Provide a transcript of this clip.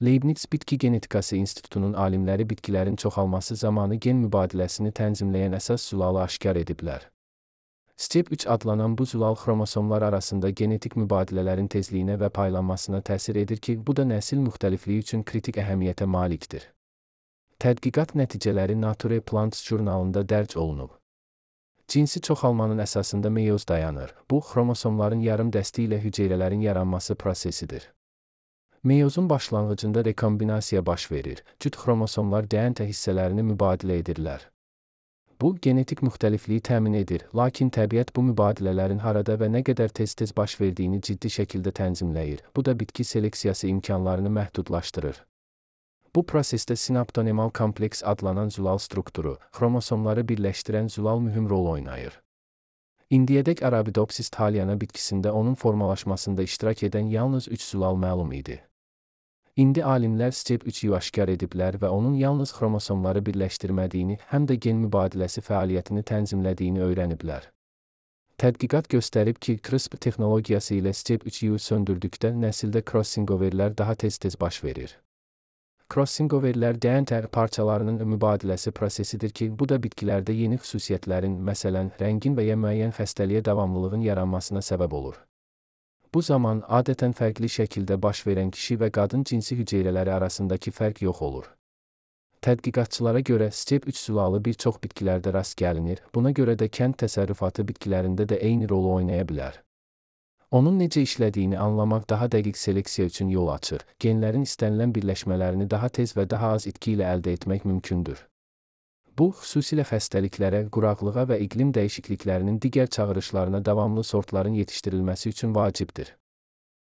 Leibniz Bitki Genetikası İnstitutunun alimləri bitkilərin çoxalması zamanı gen mübadiləsini tənzimləyən əsas zulalı aşkar ediblər. STEP3 adlanan bu zulal xromosomlar arasında genetik mübadilələrin tezliyinə və paylanmasına təsir edir ki, bu da nəsil müxtəlifliyi üçün kritik əhəmiyyətə malikdir. Tədqiqat nəticələri Nature Plants jurnalında dərc olunub. Cinsi çoxalmanın əsasında meyoz dayanır. Bu, xromosomların yarım dəsti ilə hüceyrələrin yaranması prosesidir. Meyozun başlanğıcında rekombinasiya baş verir. Cüt xromosomlar DNT hissələrini mübadilə edirlər. Bu, genetik müxtəlifliyi təmin edir, lakin təbiət bu mübadilələrin harada və nə qədər tez-tez baş verdiyini ciddi şəkildə tənzimləyir. Bu da bitki seleksiyası imkanlarını məhdudlaşdırır. Bu prosesdə sinaptonemal kompleks adlanan zulal strukturu, xromosomları birləşdirən zulal mühüm rol oynayır. İndiyədək Arabidopsis thaliana bitkisində onun formalaşmasında iştirak edən yalnız 3 zulal məlum idi. İndi alimlər STEP3-ü aşkar ediblər və onun yalnız xromosomları birləşdirmədiyini, həm də gen mübadiləsi fəaliyyətini tənzimlədiyini öyrəniblər. Tədqiqat göstərib ki, CRISPR texnologiyası ilə STEP3-ü söndürdükdə nəsildə crossingoverlər daha tez-tez baş verir. Crossingoverlər DNT parçalarının mübadiləsi prosesidir ki, bu da bitkilərdə yeni xüsusiyyətlərin, məsələn, rəngin və ya müəyyən xəstəliyə davamlılığın yaranmasına səbəb olur. Bu zaman adətən fərqli şəkildə baş verən kişi və qadın cinsi hüceyrələri arasındakı fərq yox olur. Tədqiqatçılara görə STEP3 zulalı bir çox bitkilərdə rast gəlinir, buna görə də kənd təsərrüfatı bitkilərində də eyni rolu oynaya bilər. Onun necə işlədiyini anlamaq daha dəqiq seleksiya üçün yol açır, genlərin istənilən birləşmələrini daha tez və daha az itki ilə əldə etmək mümkündür. Bu, xüsusilə xəstəliklərə, quraqlığa və iqlim dəyişikliklərinin digər çağırışlarına davamlı sortların yetişdirilməsi üçün vacibdir.